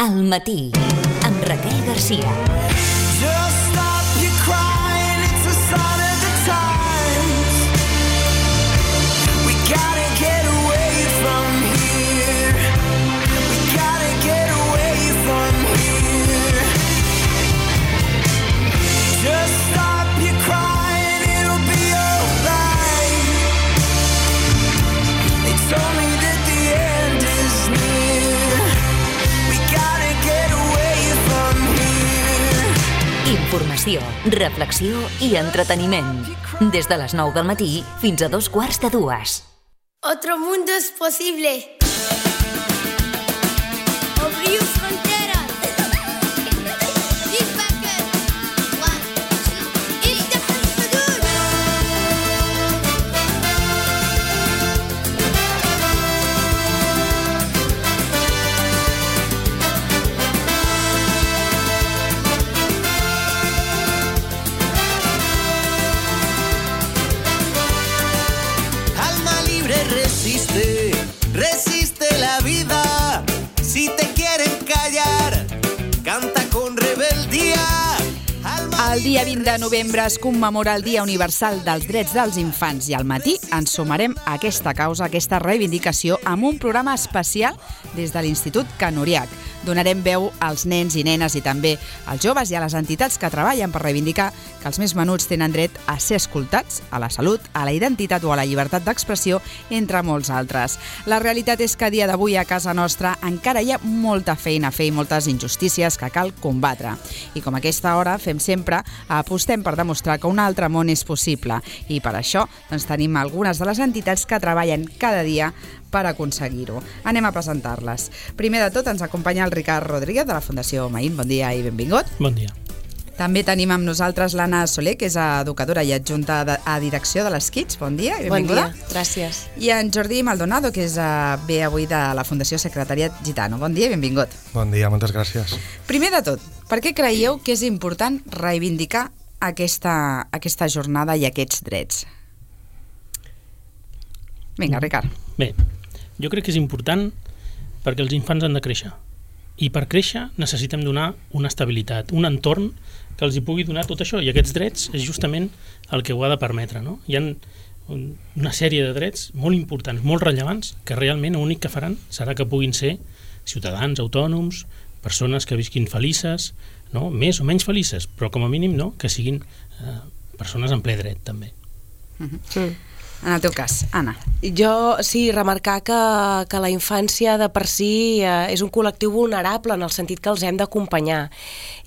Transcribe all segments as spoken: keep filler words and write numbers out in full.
Al matí, amb Raquel Garcia. Just stop your crying, it's a sign of the times. We gotta get away from here. We gotta get away from here. Just stop your crying, it'll be alright. They told me that the end is near. We gotta get away from here. Informació, reflexió i entreteniment. Des de les nou del matí fins a dos quarts de dues. Otro mundo es posible. Abrir fronteras. Big bucket. One, two, it's the Hudud. Alma libre resiste, resiste la vida. Si te quieren callar, canta con rebeldía. Alma El dia vint de novembre es commemora el Dia Universal dels Drets dels Infants i al matí ens sumarem a aquesta causa, a aquesta reivindicació, amb un programa especial des de l'Institut Can Uriach. Donarem veu als nens i nenes i també als joves i a les entitats que treballen per reivindicar que els més menuts tenen dret a ser escoltats, a la salut, a la identitat o a la llibertat d'expressió, entre molts altres. La realitat és que a dia d'avui a casa nostra encara hi ha molta feina a fer i moltes injustícies que cal combatre. I com a aquesta hora fem sempre, apostem per demostrar que un altre món és possible. I per això doncs, tenim algunes de les entitats que treballen cada dia per aconseguir-ho. Anem a presentar-les. Primer de tot ens acompanya el Ricard Rodríguez de la Fundació Maín. Bon dia i benvingut. Bon dia. També tenim amb nosaltres l'Anna Soler, que és educadora i adjunta de, a direcció de les Kids. Bon dia i benvinguda. Bon dia, gràcies. I en Jordi Maldonado, que és uh, ve avui de la Fundació Secretariat Gitano. Bon dia i benvingut. Bon dia, moltes gràcies. Primer de tot, per què creieu que és important reivindicar aquesta, aquesta jornada i aquests drets? Vinga, Ricard. Bé, jo crec que és important perquè els infants han de créixer. I per créixer necessitem donar una estabilitat, un entorn que els hi pugui donar tot això. I aquests drets és justament el que ho ha de permetre, no? Hi ha una sèrie de drets molt importants, molt rellevants, que realment l'únic que faran serà que puguin ser ciutadans, autònoms, persones que visquin felices, no? Més o menys felices, però com a mínim no? Que siguin eh, persones en ple dret, també. Mm-hmm. Mm. En el teu cas, Anna. Jo, sí, remarcar que, que la infància de per si eh, és un col·lectiu vulnerable en el sentit que els hem d'acompanyar.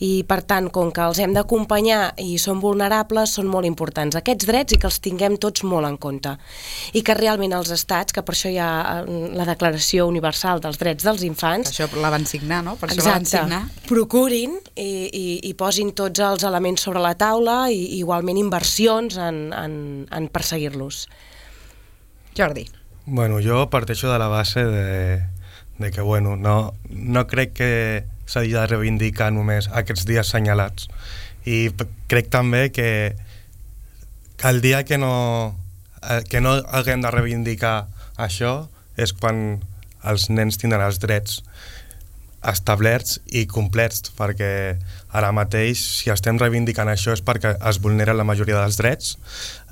I, per tant, com que els hem d'acompanyar i són vulnerables, són molt importants aquests drets i que els tinguem tots molt en compte. I que realment els estats, que per això hi ha la Declaració Universal dels Drets dels Infants... Per això la van signar, no? Per això exacte, la van signar. Procurin i, i, i posin tots els elements sobre la taula i igualment inversions en, en, en perseguir-los. Jordi. Bueno, jo parteixo de la base de, de que bueno, no, no crec que s'hagi de reivindicar només aquests dies senyalats. I p- crec també que, que el dia que no, que no haguem de reivindicar això és quan els nens tindran els drets establerts i complets, perquè ara mateix, si estem reivindicant això és perquè es vulneren la majoria dels drets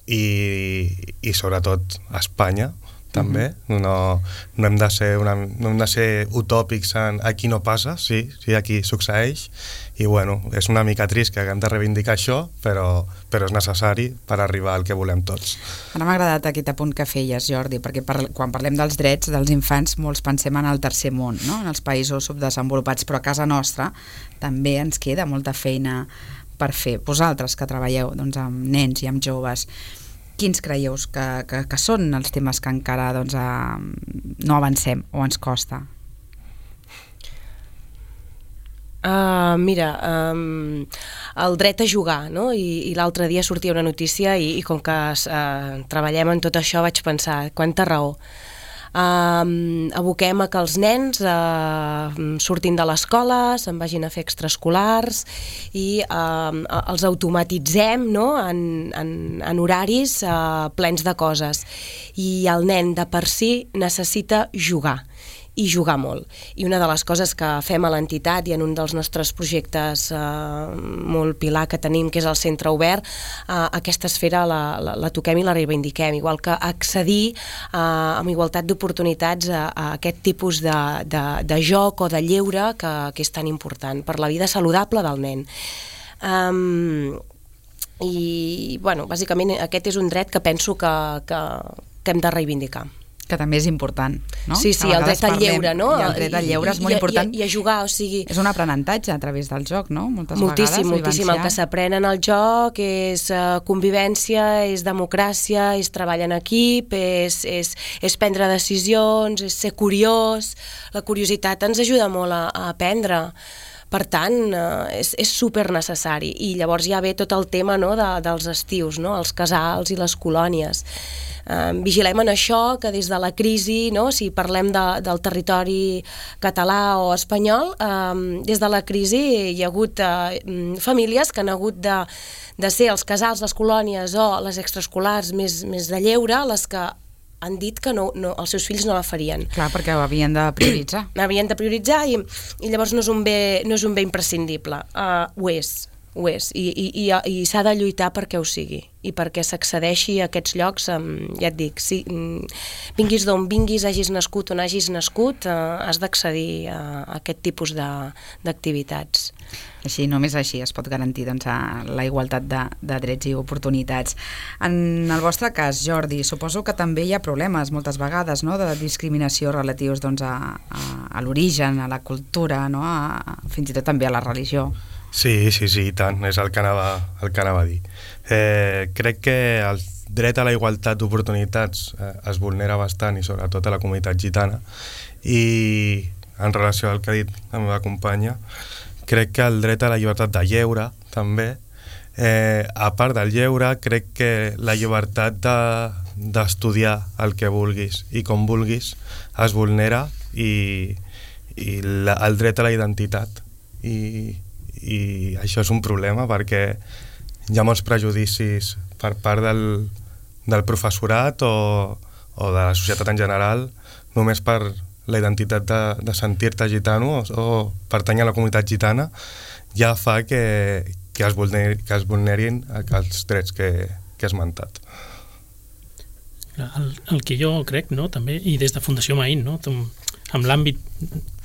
i, i sobretot a Espanya també, mm-hmm. no, no, hem de ser una, no hem de ser utòpics en aquí no passa, sí, sí, aquí succeeix i bueno, és una mica trist que haguem de reivindicar això, però, però és necessari per arribar al que volem tots. Ara m'ha agradat aquest apunt que feies, Jordi, perquè par quan parlem dels drets dels infants molts pensem en el tercer món, no? En els països subdesenvolupats, però a casa nostra també ens queda molta feina per fer. Vosaltres que treballeu doncs, amb nens i amb joves, quins creieu que, que, que són els temes que encara doncs, eh, no avancem o ens costa? Uh, mira, um, el dret a jugar, no? I, i l'altre dia sortia una notícia i, i com que uh, treballem en tot això vaig pensar, quanta raó. Um, aboquem a que els nens uh, surtin de l'escola, se'n vagin a fer extraescolars i uh, els automatitzem, no? en, en, en horaris uh, plens de coses. I el nen de per si necessita jugar. i jugar molt. I una de les coses que fem a l'entitat i en un dels nostres projectes eh, molt pilar que tenim, que és el Centre Obert, eh, aquesta esfera la, la, la toquem i la reivindiquem, igual que accedir eh, amb igualtat d'oportunitats a, a aquest tipus de, de, de joc o de lleure que, que és tan important per la vida saludable del nen. Um, i, bueno, bàsicament aquest és un dret que penso que, que, que hem de reivindicar. Que també és important, no? Sí, sí, el dret al lleure, no? I el dret al lleure és molt I, important. I, I a jugar, o sigui... És un aprenentatge a través del joc, no? Moltes moltíssim, vegades. moltíssim. El que s'aprèn en el joc és uh, convivència, és democràcia, és treball en equip, és, és, és prendre decisions, és ser curiós. La curiositat ens ajuda molt a, a aprendre. Per tant, eh, és, és super necessari. I llavors ja ve tot el tema, no, de, dels estius, no? Els casals i les colònies. Eh, vigilem en això, que des de la crisi, no? Si parlem de, del territori català o espanyol, eh, des de la crisi hi ha hagut eh, famílies que han hagut de, de ser els casals, les colònies o les extraescolars més, més de lleure, les que han dit que no, no, els seus fills no la farien. Clar, perquè ho havien de prioritzar. Havien de prioritzar i, i llavors no és un bé, no és un bé imprescindible. Uh, ho és, ho és. I, i, i, i s'ha de lluitar perquè ho sigui i perquè s'accedeixi a aquests llocs, um, ja et dic, si, um, vinguis d'on vinguis, hagis nascut on hagis nascut, uh, has d'accedir a, a aquest tipus d'activitats. Així, només així es pot garantir doncs, la igualtat de, de drets i oportunitats. En el vostre cas, Jordi, suposo que també hi ha problemes moltes vegades, no?, de discriminació relatius doncs, a, a, a l'origen, a la cultura, no?, a, a, fins i tot també a la religió. Sí, sí, sí, i tant, és el que anava, el que anava a dir. Eh, crec que el dret a la igualtat d'oportunitats eh, es vulnera bastant, i sobretot a la comunitat gitana, i en relació al que ha dit la meva companya, crec que el dret a la llibertat de lleure, també, eh, a part del lleure, crec que la llibertat d'estudiar de, el que vulguis i com vulguis es vulnera, i, i la, el dret a la identitat. I, i això és un problema perquè hi ha molts prejudicis per part del, del professorat o, o de la societat en general només per la identitat de, de sentir-te gitano o, o pertany a la comunitat gitana, ja fa que, que, es, vulneri, que es vulnerin els drets que, que he esmentat. El, el que jo crec, no, també, i des de Fundació Maín, no, amb l'àmbit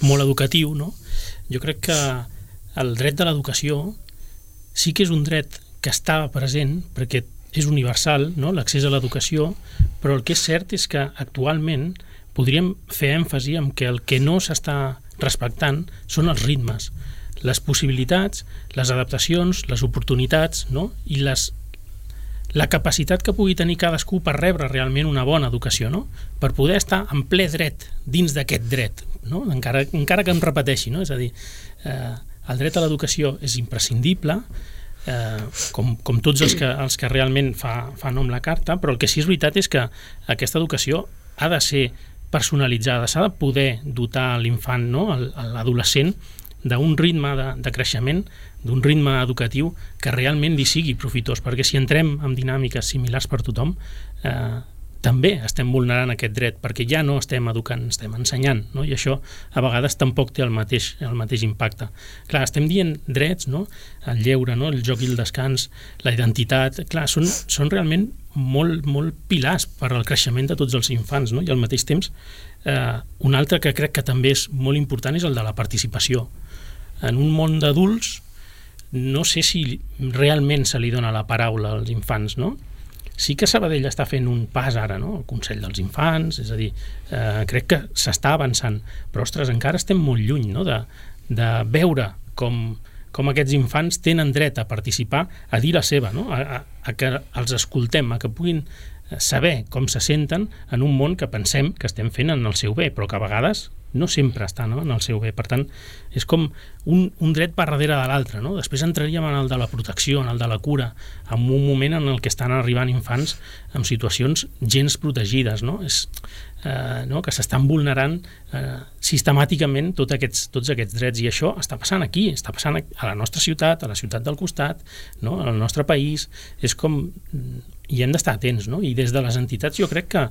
molt educatiu, no, jo crec que el dret de l'educació sí que és un dret que està present perquè és universal, no?, l'accés a l'educació, però el que és cert és que actualment podríem fer èmfasi en que el que no s'està respectant són els ritmes, les possibilitats, les adaptacions, les oportunitats, no?, i les, la capacitat que pugui tenir cadascú per rebre realment una bona educació, no?, per poder estar en ple dret dins d'aquest dret, no?, encara, encara que em repeteixi, no?, és a dir, eh, el dret a l'educació és imprescindible, eh, com, com tots els que, els que realment fa, fa nom la carta, però el que sí és veritat és que aquesta educació ha de ser personalitzada, s'ha de poder dotar l'infant, no?, l'adolescent, d'un ritme de, de creixement, d'un ritme educatiu que realment li sigui profitós, perquè si entrem en dinàmiques similars per tothom, eh, també estem vulnerant aquest dret, perquè ja no estem educant, estem ensenyant, no?, i això a vegades tampoc té el mateix, el mateix impacte. Clar, estem dient drets, no?, el lleure, no?, el joc i el descans, la identitat, clar, són, són realment molt, molt pilars per al creixement de tots els infants, no?, i al mateix temps eh, un altre que crec que també és molt important és el de la participació. En un món d'adults no sé si realment se li dona la paraula als infants, no? Sí que Sabadell està fent un pas ara, no?, el Consell dels Infants, és a dir, eh, crec que s'està avançant, però, ostres, encara estem molt lluny, no?, de, de veure com, com aquests infants tenen dret a participar, a dir la seva, no?, a, a, a que els escoltem, a que puguin saber com se senten en un món que pensem que estem fent en el seu bé, però que a vegades no sempre està, no?, en el seu bé. Per tant, és com un, un dret per darrere de l'altre, no? Després entraríem en el de la protecció, en el de la cura, en un moment en el que estan arribant infants en situacions gens protegides, no? És, eh, no? que s'estan vulnerant eh, sistemàticament tots aquests, tots aquests drets, i això està passant aquí, està passant a la nostra ciutat, a la ciutat del costat, no?, al nostre país. És com... i hem d'estar atents, no? I des de les entitats jo crec que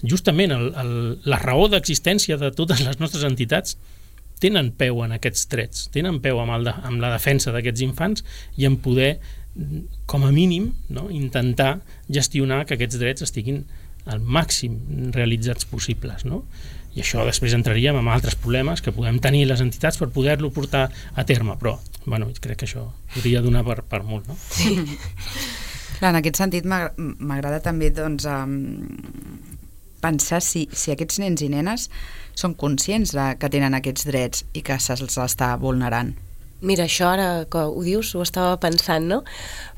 justament el, el, la raó d'existència de totes les nostres entitats tenen peu en aquests drets, tenen peu amb, el de, amb la defensa d'aquests infants i en poder, com a mínim, no, intentar gestionar que aquests drets estiguin al màxim realitzats possibles, no? I això després entraríem en altres problemes que podem tenir les entitats per poder-lo portar a terme, però bueno, crec que això podria donar per, per molt, no? Sí. Clar, en aquest sentit m'agrada també doncs, um, pensar si, si aquests nens i nenes són conscients de, que tenen aquests drets i que se'ls està vulnerant. Mira, això ara que ho dius, ho estava pensant, no?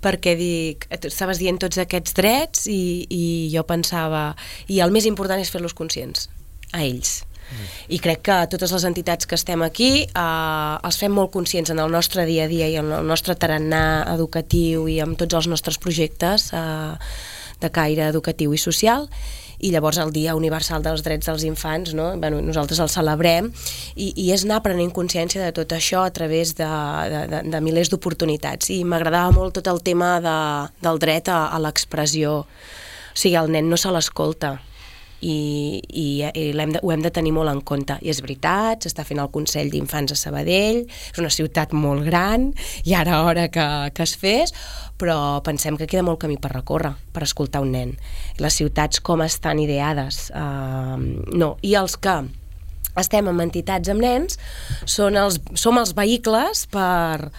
Perquè dic, tu estaves dient tots aquests drets i, i jo pensava, i el més important és fer-los conscients, a ells. Mm. I crec que totes les entitats que estem aquí eh, els fem molt conscients en el nostre dia a dia i en el nostre tarannà educatiu i amb tots els nostres projectes eh, de caire educatiu i social. I llavors el Dia Universal dels Drets dels Infants, no? Bueno, nosaltres el celebrem i, i és anar prenent consciència de tot això a través de, de, de, de milers d'oportunitats. I m'agradava molt tot el tema de, del dret a, a l'expressió. O sigui, el nen no se l'escolta i, i, i hem de, ho hem de tenir molt en compte. I és veritat, s'està fent el Consell d'Infants a Sabadell, és una ciutat molt gran i ara hora que, que es fes, però pensem que queda molt camí per recórrer, per escoltar un nen. Les ciutats com estan ideades, uh, no. I els que estem en entitats amb nens són els, som els vehicles per,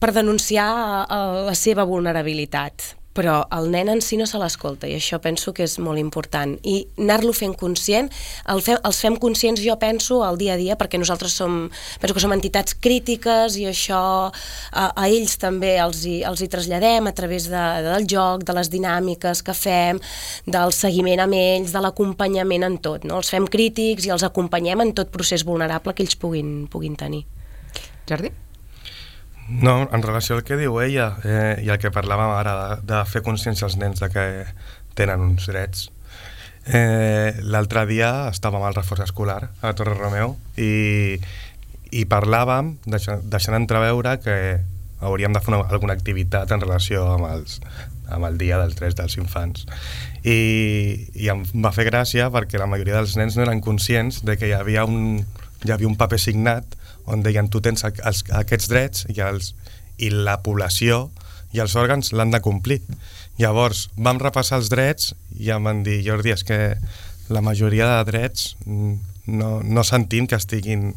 per denunciar uh, la seva vulnerabilitat. Però el nen en si no se l'escolta i això penso que és molt important. I anar-lo fent conscient, el fem, els fem conscients, jo penso, al dia a dia, perquè nosaltres som, penso que som entitats crítiques i això a, a ells també els hi, els hi traslladem a través de, del joc, de les dinàmiques que fem, del seguiment amb ells, de l'acompanyament en tot. No? Els fem crítics i els acompanyem en tot procés vulnerable que ells puguin, puguin tenir. Jordi? No, en relació al que diu ella eh, i el que parlàvem ara de, de fer consciència als nens de que tenen uns drets, eh, l'altre dia estàvem al reforç escolar a Torre Romeu i, i parlàvem deixant, deixant entreveure que hauríem de fer una, alguna activitat en relació amb, els, amb el Dia dels Drets dels Infants i, i em va fer gràcia perquè la majoria dels nens no eren conscients de que hi havia un, hi havia un paper signat on deien tu tens els, aquests drets i, els, i la població i els òrgans l'han de complir. Llavors vam repassar els drets i em van dir, Jordi, és que la majoria de drets no, no sentim que estiguin,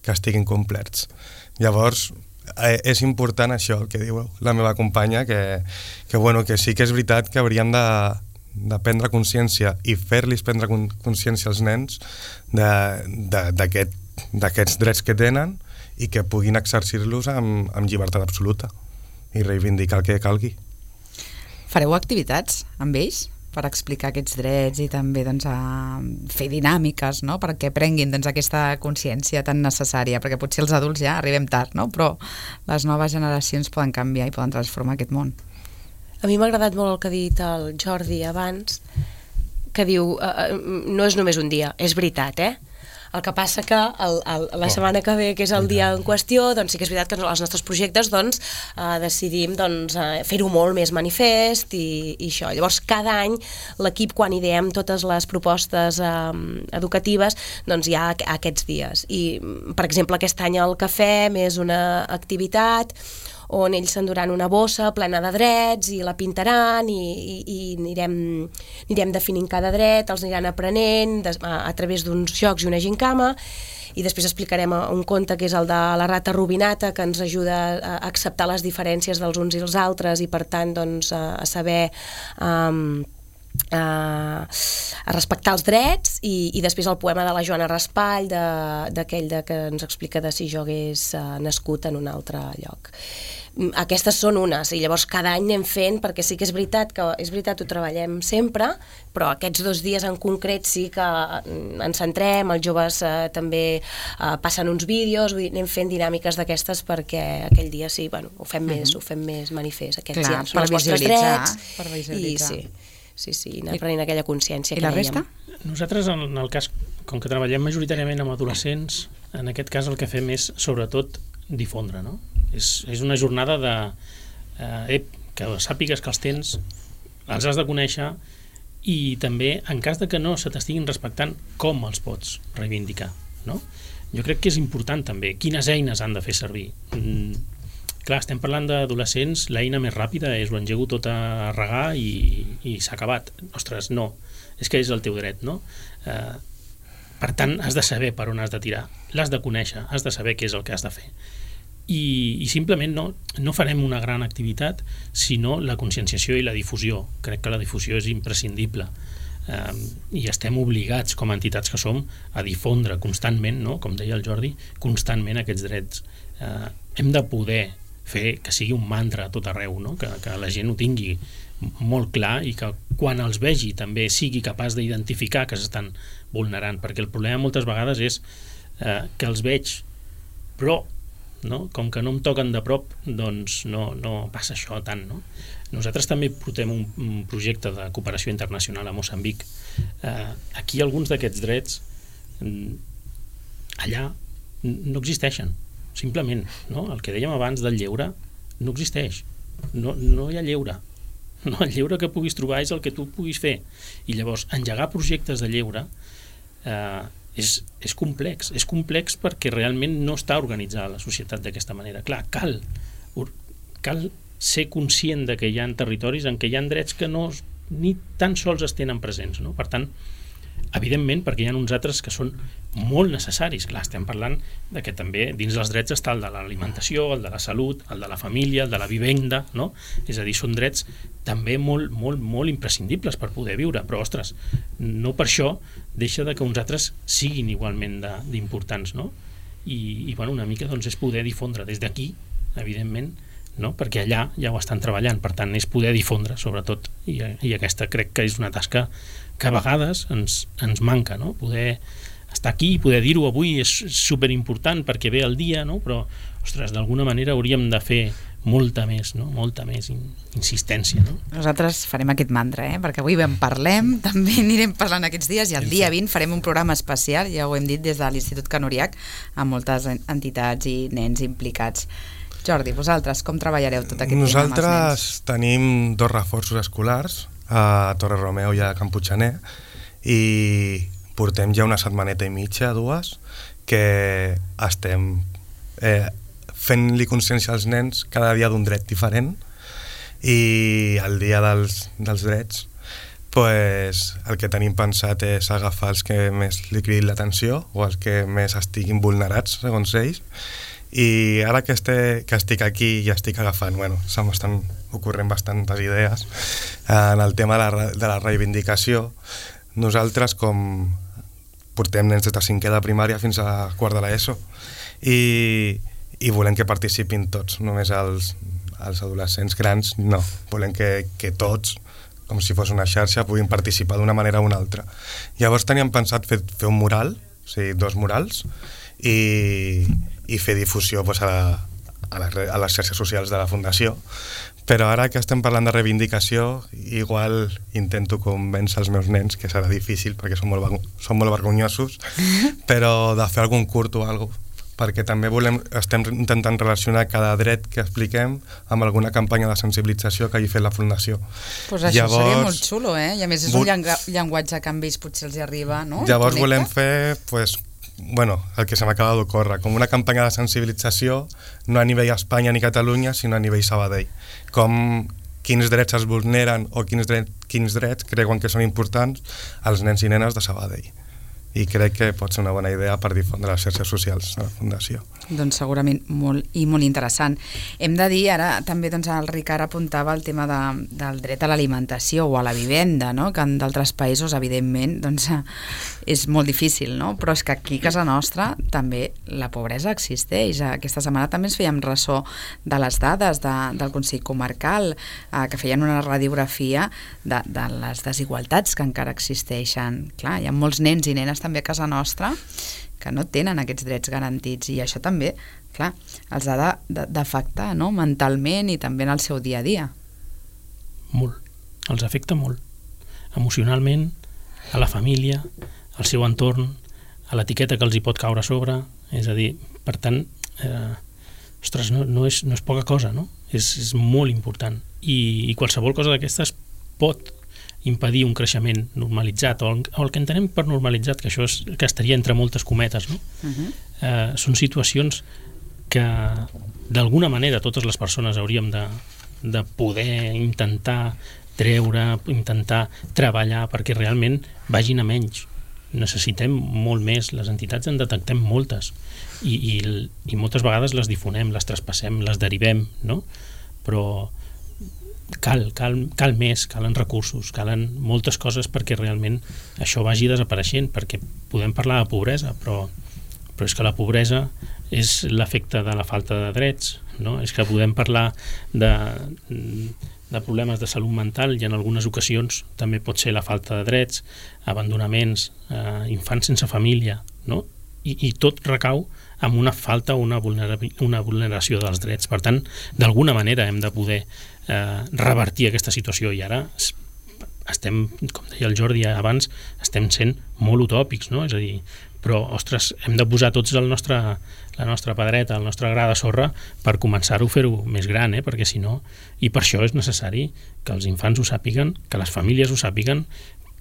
que estiguin complerts. Llavors eh, és important això, el que diu la meva companya, que, que, bueno, que sí que és veritat que hauríem de, de prendre consciència i fer-los prendre consciència als nens d'aquest d'aquests drets que tenen i que puguin exercir-los amb, amb llibertat absoluta i reivindicar el que calgui. Fareu activitats amb ells per explicar aquests drets i també doncs, a fer dinàmiques, no? Perquè prenguin doncs, aquesta consciència tan necessària, perquè potser els adults ja arribem tard, no? Però les noves generacions poden canviar i poden transformar aquest món. A mi m'ha agradat molt el que ha dit el Jordi abans, que diu, eh, no és només un dia, és veritat, eh? El que passa que el, el, la setmana que ve, que és el dia en qüestió, doncs sí que és veritat que els nostres projectes doncs, eh, decidim doncs, eh, fer-ho molt més manifest i, i això. Llavors, cada any l'equip, quan ideem totes les propostes eh, educatives, doncs hi ha aquests dies. I, per exemple, aquest any el que fem és una activitat on ells s'enduran una bossa plena de drets i la pintaran i, i, i anirem, anirem definint cada dret, els aniran aprenent des, a, a través d'uns jocs i una gincama i després explicarem un conte que és el de la rata robinata, que ens ajuda a acceptar les diferències dels uns i els altres i per tant doncs, a, a saber um, a, a respectar els drets i, i després el poema de la Joana Raspall d'aquell que ens explica de si jo hagués uh, nascut en un altre lloc. Aquestes són unes i llavors cada any anem fent, perquè sí que és veritat que és veritat ho treballem sempre, però aquests dos dies en concret sí que ens centrem, els joves eh, també eh, passen uns vídeos, vull dir, anem fent dinàmiques d'aquestes perquè aquell dia sí, bueno, ho fem més, mm-hmm. ho fem més manifest, aquests Clar, ja són els vostres drets per visualitzar. i sí, sí, sí, anar prenent aquella consciència. I la resta? Nosaltres, en el cas, com que treballem majoritàriament amb adolescents, en aquest cas el que fem és, sobretot, difondre, no? És, és una jornada de eh, que sàpigues que els tens, els has de conèixer i també, en cas de que no se t'estiguin respectant, com els pots reivindicar, no? Jo crec que és important també quines eines han de fer servir. Mm, clar, estem parlant d'adolescents, l'eina més ràpida és ho engego tot a regar i, i s'ha acabat. Ostres, no, és que és el teu dret, no? Eh, per tant, has de saber per on has de tirar, l'has de conèixer, has de saber què és el que has de fer. I, i simplement no, no farem una gran activitat sinó la conscienciació i la difusió. Crec que la difusió és imprescindible. Um, i estem obligats com a entitats que som a difondre constantment, no? Com deia el Jordi, constantment aquests drets. Uh, hem de poder fer que sigui un mantra a tot arreu, no? que, que la gent ho tingui molt clar i que quan els vegi també sigui capaç d'identificar que s'estan vulnerant, perquè el problema moltes vegades és uh, que els veig però no? Com que no em toquen de prop, doncs no, no passa això tant, no? Nosaltres també portem un, un projecte de cooperació internacional a Moçambic. Eh, aquí alguns d'aquests drets allà no existeixen, simplement, no? El que dèiem abans del lleure no existeix, no, no hi ha lleure, no, el lleure que puguis trobar és el que tu puguis fer, i llavors engegar projectes de lleure eh, és, és complex, és complex perquè realment no està organitzada la societat d'aquesta manera. Clar, cal, cal ser conscient de que hi ha territoris en què hi ha drets que no, ni tan sols es tenen presents, no? Per tant, evidentment, perquè hi ha uns altres que són molt necessaris. Clar, estem parlant de que també dins dels drets està el de l'alimentació, el de la salut, el de la família, el de la vivenda, no? És a dir, són drets també molt, molt, molt imprescindibles per poder viure, però, ostres, no per això deixa de que uns altres siguin igualment d'importants, no? I, i bueno, una mica doncs, és poder difondre des d'aquí, evidentment, no? Perquè allà ja ho estan treballant, per tant és poder difondre sobretot, i, i aquesta crec que és una tasca que a vegades ens, ens manca, no? Poder estar aquí i poder dir-ho avui és superimportant perquè ve el dia, no? Però, ostres, d'alguna manera hauríem de fer molta més, no? Molta més in, insistència, no? Nosaltres farem aquest mantra, eh? Perquè avui en parlem, també anirem parlant aquests dies, i el dia vint farem un programa especial, ja ho hem dit, des de l'Institut Canoriac, amb moltes entitats i nens implicats. Jordi, vosaltres com treballareu tot aquest Nosaltres tema amb els nens? tenim dos reforços escolars a Torre Romeu i a Camputxaner, i portem ja una setmaneta i mitja, dues, que estem eh, fent-li consciència als nens cada dia d'un dret diferent, i el dia dels, dels drets pues, el que tenim pensat és agafar els que més li cridin l'atenció o els que més estiguin vulnerats, segons ells. I ara que, este, que estic aquí i estic agafant, bueno, se m'estan ocorrent bastantes idees en el tema de la, de la reivindicació. Nosaltres, com portem nens des de cinquè de primària fins a quart de l'ESO, i, i volem que participin tots, només els, els adolescents grans, no. Volem que, que tots, com si fos una xarxa, puguin participar d'una manera o una altra. Llavors teníem pensat fer, fer un mural, o sigui, dos murals, i, i fer difusió pues, a, a, les, a les xarxes socials de la Fundació. Però ara que estem parlant de reivindicació, igual intento convèncer els meus nens, que serà difícil perquè són molt, són molt vergonyosos, però de fer algun curt o alguna cosa, perquè també volem, estem intentant relacionar cada dret que expliquem amb alguna campanya de sensibilització que hagi fet la Fundació. Pues això llavors, seria molt xulo, eh? I a més és un llenguatge que amb ells potser els hi arriba, no? Llavors volem fer, pues, bueno, el que se m'acaba d'ocórrer, com una campanya de sensibilització, no a nivell Espanya ni Catalunya, sinó a nivell Sabadell. Com quins drets es vulneren o quins, dret, quins drets creuen que són importants als nens i nenes de Sabadell. I crec que pot ser una bona idea per difondre les xarxes socials de la Fundació. Doncs segurament molt i molt interessant. Hem de dir, ara també doncs, el Ricard apuntava el tema de, del dret a l'alimentació o a la vivenda, no? Que en d'altres països, evidentment, doncs, és molt difícil, no? Però és que aquí a casa nostra també la pobresa existeix. Aquesta setmana també ens fèiem ressò de les dades de, del Consell Comarcal, eh, que feien una radiografia de, de les desigualtats que encara existeixen. Clar, hi ha molts nens i nenes també a casa nostra que no tenen aquests drets garantits, i això també, clar, els ha d'afectar, no? Mentalment i també en el seu dia a dia. Molt, els afecta molt. Emocionalment, a la família, al seu entorn, a l'etiqueta que els hi pot caure a sobre, és a dir, per tant, eh, ostres, no, no, és, no és poca cosa, no? És, és molt important. I, i qualsevol cosa d'aquestes pot impedir un creixement normalitzat, o el, o el que entenem per normalitzat, que això és, que estaria entre moltes cometes, no? Uh-huh. eh, són situacions que d'alguna manera totes les persones hauríem de, de poder intentar treure, intentar treballar perquè realment vagin a menys. Necessitem molt més, les entitats en detectem moltes i, i, i moltes vegades les difonem, les traspassem, les derivem, no? Però cal, cal, cal més, calen recursos, calen moltes coses perquè realment això vagi desapareixent, perquè podem parlar de pobresa, però, però és que la pobresa és l'efecte de la falta de drets, no? És que podem parlar de, de problemes de salut mental i en algunes ocasions també pot ser la falta de drets, abandonaments, eh, infants sense família, no? I, i tot recau amb una falta o una, vulnera, una vulneració dels drets. Per tant, d'alguna manera hem de poder eh, revertir aquesta situació i ara estem, com deia el Jordi abans, estem sent molt utòpics, no? És a dir, però, ostres, hem de posar tots el nostre, la nostra pedreta, el nostre gra de sorra per començar-ho a fer-ho més gran, eh? Perquè si no, i per això és necessari que els infants ho sàpiguen, que les famílies ho sàpiguen,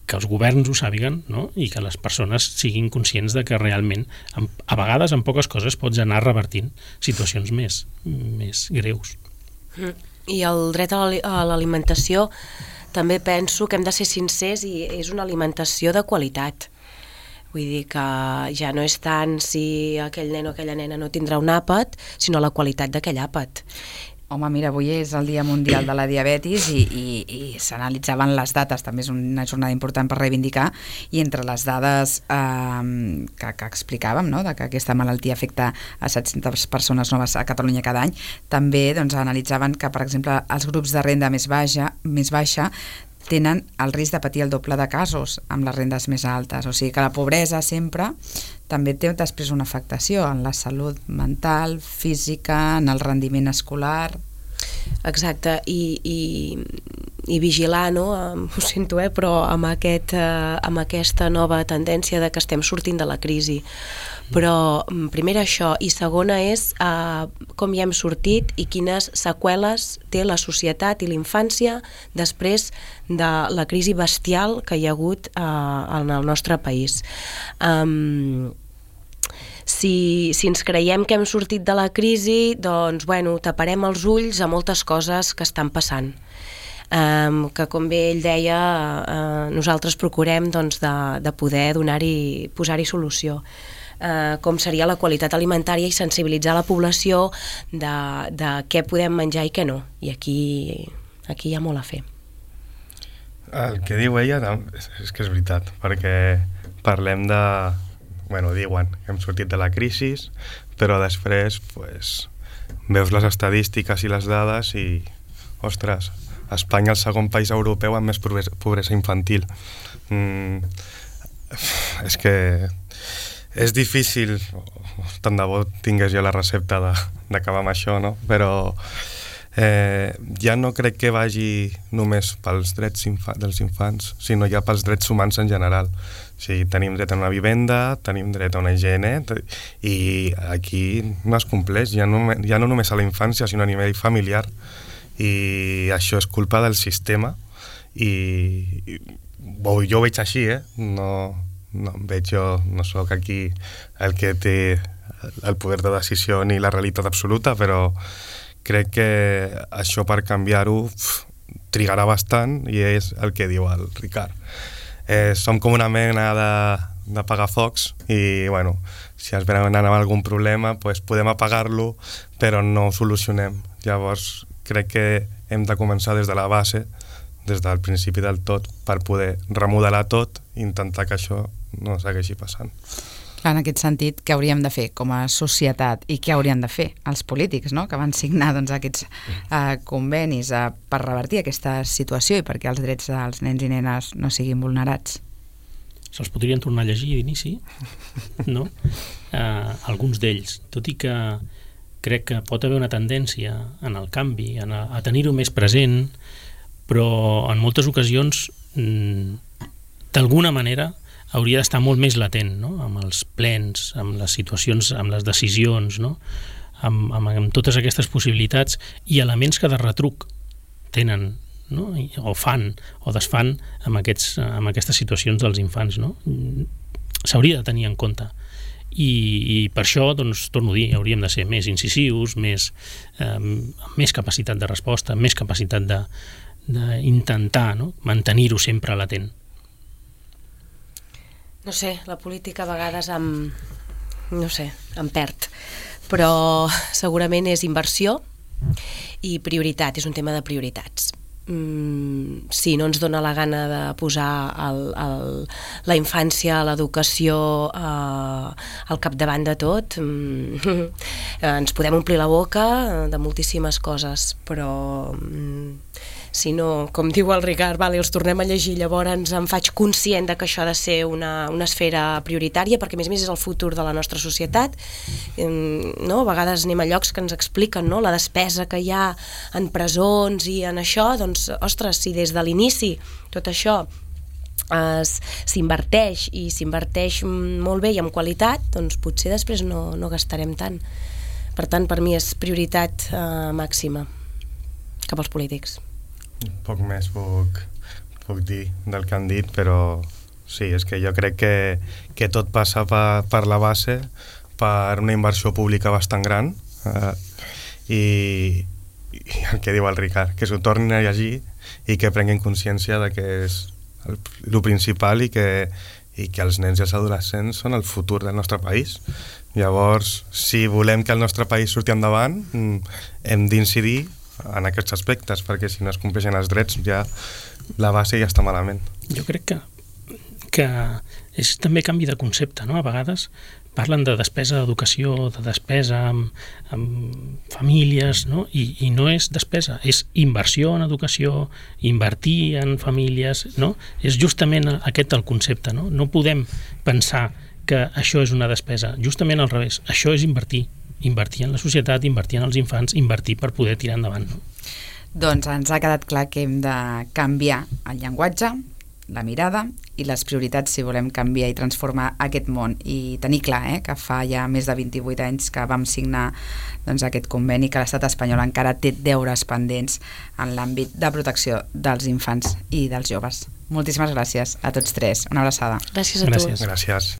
que els governs ho sàpiguen, no? I que les persones siguin conscients de que realment, a vegades, en poques coses, pots anar revertint situacions més, més greus. I el dret a l'alimentació també penso que hem de ser sincers i és una alimentació de qualitat. Vull dir que ja no és tant si aquell nen o aquella nena no tindrà un àpat, sinó la qualitat d'aquell àpat. Home, mira, avui és el Dia Mundial de la Diabetis i, i, i s'analitzaven les dates, també és una jornada important per reivindicar, i entre les dades eh, que, que explicàvem, no?, de que aquesta malaltia afecta a set-centes persones noves a Catalunya cada any, també doncs, analitzaven que, per exemple, els grups de renda més baixa, més baixa tenen el risc de patir el doble de casos amb les rendes més altes, o sigui que la pobresa sempre també té després una afectació en la salut mental, física, en el rendiment escolar. Exacte, i, i, i vigilar, no? Ho sento, eh? Però amb, aquest, eh, amb aquesta nova tendència de que estem sortint de la crisi. Però primera això, i segona és eh, com hi hem sortit i quines seqüeles té la societat i la infància després de la crisi bestial que hi ha hagut eh, en el nostre país. Um, Si, si ens creiem que hem sortit de la crisi, doncs, bueno, taparem els ulls a moltes coses que estan passant. Um, que, com bé ell deia, uh, nosaltres procurem doncs, de, de poder donar-hi, posar-hi solució. Uh, com seria la qualitat alimentària i sensibilitzar la població de, de què podem menjar i què no. I aquí, aquí hi ha molt a fer. El que diu ella és, és que és veritat, perquè parlem de... Bueno, diuen que hem sortit de la crisi, però després pues, veus les estadístiques i les dades i, ostres, Espanya és el segon país europeu amb més pobresa infantil. Mm, és que és difícil, tant de bo tingués jo la recepta d'acabar amb això, no? Però eh, ja no crec que vagi només pels drets infa dels infants, sinó ja pels drets humans en general. O sigui, tenim dret a una vivenda, tenim dret a una higiene, i aquí no es compleix, ja no, ja no només a la infància, sinó a nivell familiar, i això és culpa del sistema, i, i jo ho veig així, eh? No, no veig jo, no sóc aquí el que té el poder de decisió ni la realitat absoluta, però crec que això per canviar-ho trigarà bastant, i és el que diu el Ricard. Eh, som com una mena de, de pagafocs i, bueno, si ens venen amb algun problema, pues podem apagar-lo, però no ho solucionem. Llavors, crec que hem de començar des de la base, des del principi del tot, per poder remodelar tot i intentar que això no segueixi passant. En aquest sentit, què hauríem de fer com a societat i què haurien de fer els polítics, no?, que van signar doncs, aquests eh, convenis eh, per revertir aquesta situació i perquè els drets dels nens i nenes no siguin vulnerats? Se'ls podrien tornar a llegir d'inici, no? Eh, alguns d'ells, tot i que crec que pot haver una tendència en el canvi, en a, a tenir-ho més present, però en moltes ocasions, mm, d'alguna manera, hauria d'estar molt més latent, no? Amb els plens, amb les situacions, amb les decisions, no? amb, amb, amb totes aquestes possibilitats i elements que de retruc tenen no? I, o fan o desfan amb, aquests, amb aquestes situacions dels infants, no? S'hauria de tenir en compte. I, i per això, doncs, torno a dir, hauríem de ser més incisius, més, eh, amb més capacitat de resposta, més capacitat de, d'intentar, no? Mantenir-ho sempre latent. No sé, la política a vegades em, no sé, em perd, però segurament és inversió i prioritat, és un tema de prioritats. Mm, si no ens dona la gana de posar el, el, la infància, l'educació eh, al capdavant de tot, mm, ens podem omplir la boca de moltíssimes coses, però mm, si no, com diu el Ricard, vale, els tornem a llegir, llavors em faig conscient de que això ha de ser una, una esfera prioritària, perquè a més a més és el futur de la nostra societat, no? A vegades anem a llocs que ens expliquen, no? La despesa que hi ha en presons i en això, doncs, ostres, si des de l'inici tot això es, s'inverteix i s'inverteix molt bé i amb qualitat, doncs potser després no, no gastarem tant. Per tant, per mi és prioritat eh, màxima cap als polítics. Poc més puc, puc dir del que han dit, però sí, és que jo crec que, que tot passa per, per la base, per una inversió pública bastant gran, eh, i, i el que diu el Ricard, que s'ho tornin a llegir i que prenguin consciència de que és el, el principal i que, i que els nens i els adolescents són el futur del nostre país. Llavors, si volem que el nostre país surti endavant, hem d'incidir en aquests aspectes, perquè si no es compleixen els drets ja la base ja està malament. Jo crec que, que és també canvi de concepte, no? A vegades parlen de despesa d'educació, de despesa amb, amb famílies, no? I, i no és despesa, és inversió en educació, invertir en famílies, no? És justament aquest el concepte, no? No podem pensar que això és una despesa, justament al revés, això és invertir. Invertir en la societat, invertir en els infants, invertir per poder tirar endavant. No? Doncs ens ha quedat clar que hem de canviar el llenguatge, la mirada i les prioritats si volem canviar i transformar aquest món. I tenir clar eh, que fa ja més de vint-i-vuit anys que vam signar doncs, aquest conveni, que l'estat espanyol encara té deures pendents en l'àmbit de protecció dels infants i dels joves. Moltíssimes gràcies a tots tres. Una abraçada. Gràcies a Gràcies. tu. Gràcies.